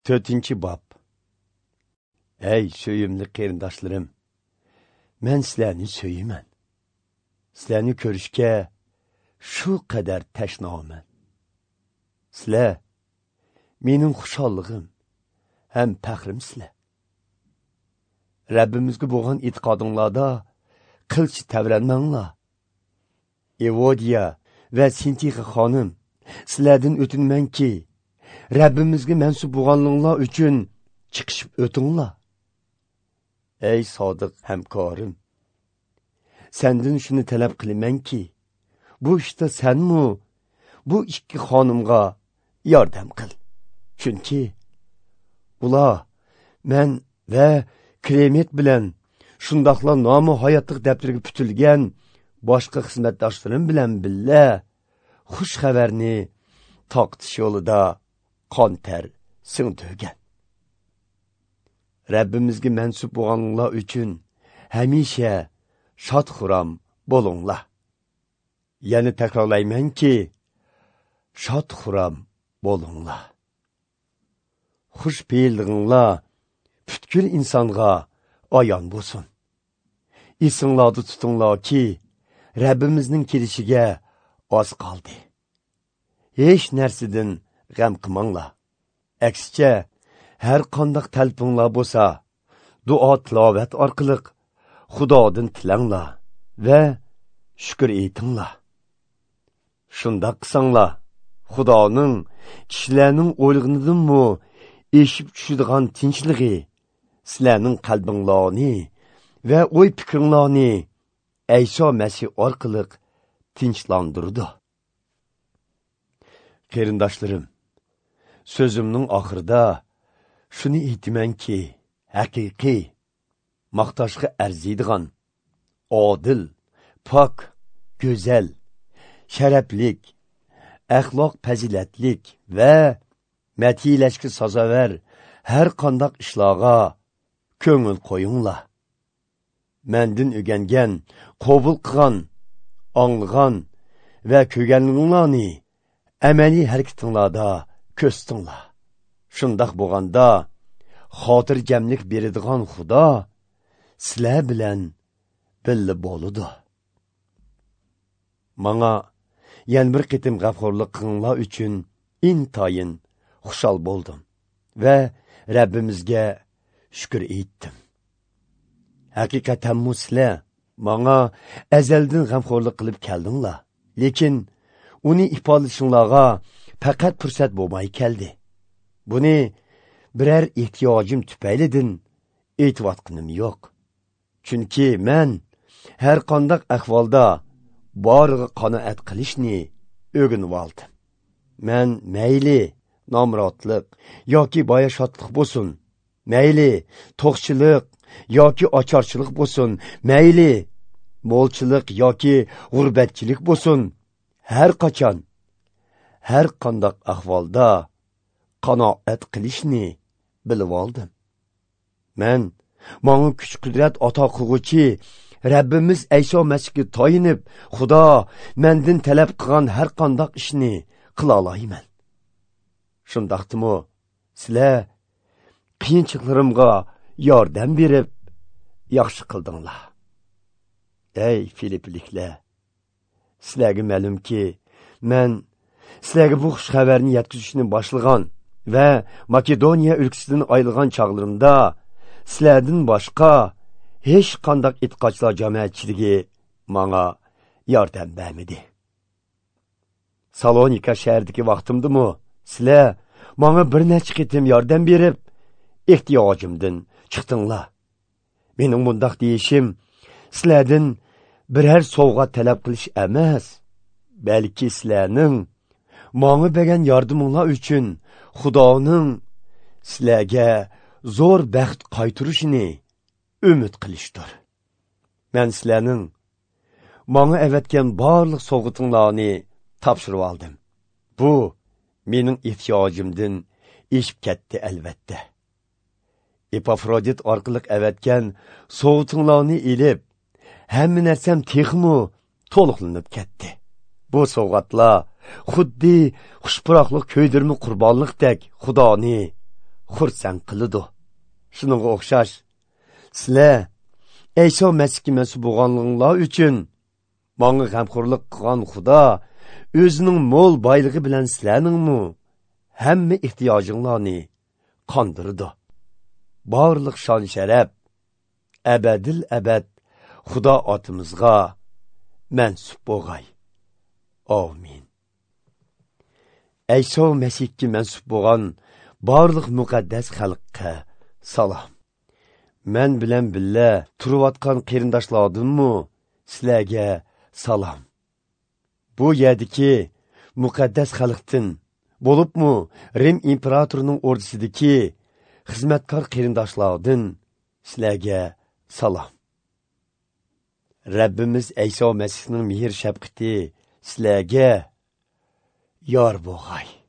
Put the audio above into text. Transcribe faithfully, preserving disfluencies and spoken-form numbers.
To'rtinchi bob. Ey suyimli qarindoshlarim, men sizlarni suyaman. Sizlarni ko'rishga shu qadar tashnaman. Sizlar mening xushalligim ham faxrimsizlar. Rabbimizga bo'lgan e'tiqodinglarda qilcha tavranmanglar. Evodiya va Sintixa xonim, sizlardan o'tinmanki, Rabbimizga mansub bo'lganinglar uchun chiqishib o'tinglar. Ey sodiq hamkorim, senden shuni talab qilamanki, bu ishda senmu bu ikki xonimga yordam qil. Chunki ular men va Kremet bilan shundoqla nomi hayotlik daftariga putilgan boshqa xizmatdoshlarim bilan billa xush xabarni taqtish yo'lida qon ter singdirgan. Rabbimizga mansub bo'lganlar uchun hamisha shod xuram bo'linglar. Yana takrorlaymanki, shod xuram bo'linglar. Xush fe'linglar butkul insonga ayon bo'lsin. Esinglarda tutinglarki, Rabbimizning kelishiga oz qoldi. Hech narsadan g'am qilmanglar. Aksicha, har qanday talpinglar bo'lsa, duo tilovat orqali Xudodan tilanglar va shukr etinglar. Shundoq qilsanglar, Xudoning kishilarning o'ylag'inidanmi eshib tushadigan tinchligi sizlarning qalbinglarni va o'y fikringlarni Ayso Masih orqali tinchlantirdi. Qarindoshlarim, so'zimning oxirida shuni aytamanki, haqiqiy maqtashga arziydigan, odil, pok, go'zal, sharaflik, axloq fazilatlik va matiyalashga sazovor har qanday ishlarga ko'ngil qo'yinglar. Mendan o'rgangan, qabul qilgan, anglagan va ko'rganinglarni amaliy harakatinglarda ko'rsatinglar. Shundoq bo'lganda xotirjamlik beradigan Xudo sizlar bilan birga bo'ladi. Manga yana bir qitim g'amxo'rlik qilinglar uchun intayin xushal bo'ldim va Rabbimizga shukr etdim. Haqiqatan sizlar manga azaldan g'amxo'rlik qilib keldinglar, lekin uni ifodalashinglarga faqat fursat bo'lmay keldi. Buni biror ehtiyojim tufaylidan aytayotganim yo'q. Chunki men har qanday ahvolda boriga qanoat qilishni o'rganib oldim. Men mayli nomrodlik yoki boyashodlik bo'lsin, mayli to'qchilik yoki ocharchilik bo'lsin, mayli mo'lchilik yoki g'urbatchilik bo'lsin, har qachon, har qanday ahvolda qanoat qilishni bilib oldim. Men manga kuch qudrat ato qilguvchi Rabbimiz Ayso Masihga toyinib, Xudo mendan talab qilgan har qanday ishni qila olayman. Shundaqdimi, sizlar qiyinchiliklarimga yordam berib yaxshi qildinglar. Ey Filipliklar, sizlarga ma'lumki, men sizlarga bu xush xabarni yetkazishni boshlagan va Makedoniya o'lkasidan ayrilgan chog'larimda sizlardan boshqa hech qanday e'tiqodchilar jamoatchiligi manga yordam bermadi. Salonika shahridagi vaqtimdimi sizlar manga bir necha qitim yordam berib ehtiyojimdan chiqdinglar. Mening bundaq deyishim sizlardan biror sovg'a talab qilish emas, balki sizlarning manga bergan yordaminglar uchun Xudoning sizlarga zo'r baxt qaytarishini umid qilishdir. Men sizlarning manga avatgan barliq sovg'atinglarni topshirib oldim. Bu mening ehtiyojimdan eshib ketdi albatta. Epafrodit orqali avatgan sovg'atinglarni ilib, hamma narsam texmi to'liqlanib ketdi. Bu sovg'atlar xuddi xushpuroqli ko'ydirma qurbonliqdek Xudoni xursand qiladi. Shuningga o'xshash, sizlar Ayso Masihga mansub bo'lganligingiz uchun menga g'amxo'rlik qilgan Xudo o'zining mo'l boyligi bilan sizlarningmi hamma ehtiyojinglarni qondirdi. Barliq shon sharaf abadil abad Xudo otimizga mansub bo'lg'ay. Amin. Ayso Masihga mansub bo'lgan barliq muqaddas xalqqa salom. Men bilan billa turayotgan qarindoshlardinmi sizlarga salom. Bu yerdagi muqaddas xalqdan bo'libmi Rim imperatorining ordusidagi xizmatkor qarindoshlardan sizlarga salom. Rabbimiz Ayso Masihning mehr shafqati sizlarga yor bo'lg'ay.